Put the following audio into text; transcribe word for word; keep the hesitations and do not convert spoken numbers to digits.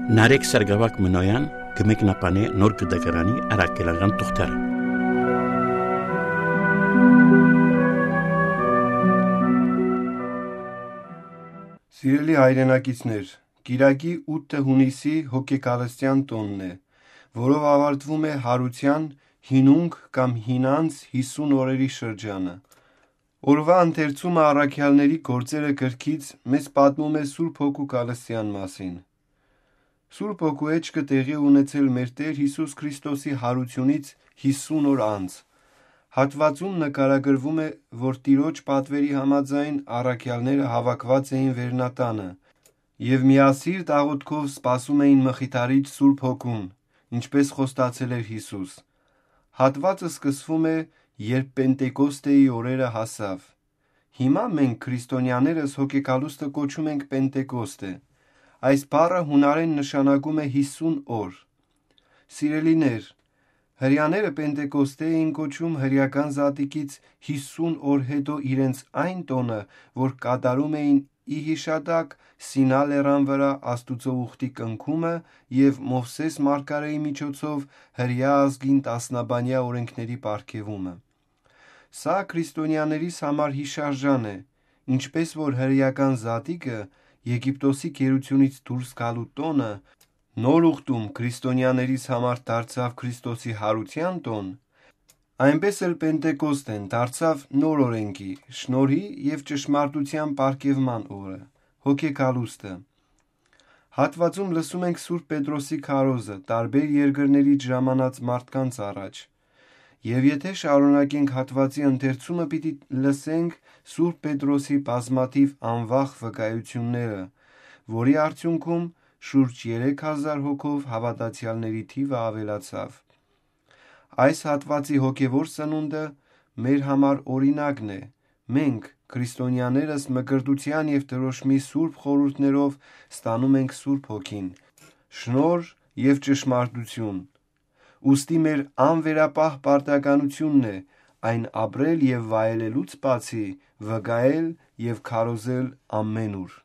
Նարեկ Սարգսակ Մնոյան կը մեկնաբանէ Նոր Կտակարանի առաքելական թուղթերը։ Սիրելի հայրենակիցներ, կիրակի ութը հունիսի հոգեկալստեան տօնն է, որով աւարտվում է Յարութեան հինունք կամ հինանց հիսուն օրերի շրջանը։ Օրուայ ընթերցումը առաքեալների գործերը կրքից մեզ պատմում է Սուրբ Հոգու կալստեան մասին։ Սուրբ Հոգու էջքը տեղի է ունեցել մեր Տէր Յիսուս Քրիստոսի յարութիւնից հիսուն օր անց։ Հատուածում նկարագրվում է, որ Տիրոջ պատվերի համաձայն առաքեալները հաւաքուած էին վերնատանը եւ միասիրտ աղօթքով սպասում էին Մխիթարիչ Սուրբ Հոգուն, ինչպէս խոստացել էր Յիսուս։ Հատուածը սկսվում է, երբ Պենտեկոստեի օրերը հասաւ։ Հիմա մենք, քրիստոնյաներս, հոգեկալուստը կոչում ենք Պենտեկոստե։ Այս բառը յունարէն նշանակում է հիսուն օր։ Սիրելիներ, հրեաները Պենտեկոստե էին կոչում հրեական Զատիկից հիսուն օր յետոյ իրենց այն տօնը, որ կատարում էին ի յիշատակ Սինա լեռան վրայ Աստուծոյ ուխտի կնքումը եւ Մովսէս մարգարէի միջոցով հրեայ ազգին տասնաբանեայ օրէնքների պարգեւումը։ Սա քրիստոնյաներիս համար յիշարժան է, ինչպէս որ հրեական Զատիկը Եգիպտոսի գերութիւնից դուրս գալու տօնը նոր ուխտում քրիստոնյաներիս համար դարձաւ Քրիստոսի յարութեան տօն, այնպէս էլ Պենտեկոստեն դարձաւ նոր օրէնքի, շնորհի եւ ճշմարտութեան պարգեւման օրը, հոգեկալուստը։ Հատուածում լսում ենք Սուրբ Պետրոսի քարոզը, տարբեր երկրներից ժամանած մարդկանց առաջ։ Եւ եթէ շարունակենք հատուածի ընթերցումը, պիտի լսենք Սուրբ Պետրոսի բազմաթիւ անվախ վկայութիւնները, որի արդիւնքում շուրջ երեք հազար հոգով հաւատացեալների թիւը աւելացաւ։ Այս հատուածի հոգեւոր սնունդը մեր համար օրինակն է։ Մենք, քրիստոնյաներս, մկրտութեան եւ դրոշմի սուրբ խորհուրդներով ստանում ենք Սուրբ Հոգին, շնորհ եւ ճշմարտություն։ Ուստի մեր անվերապահ պարտականութիւնն է այն ապրել եւ վայելելուց բացի, վկայել եւ քարոզել ամենուր։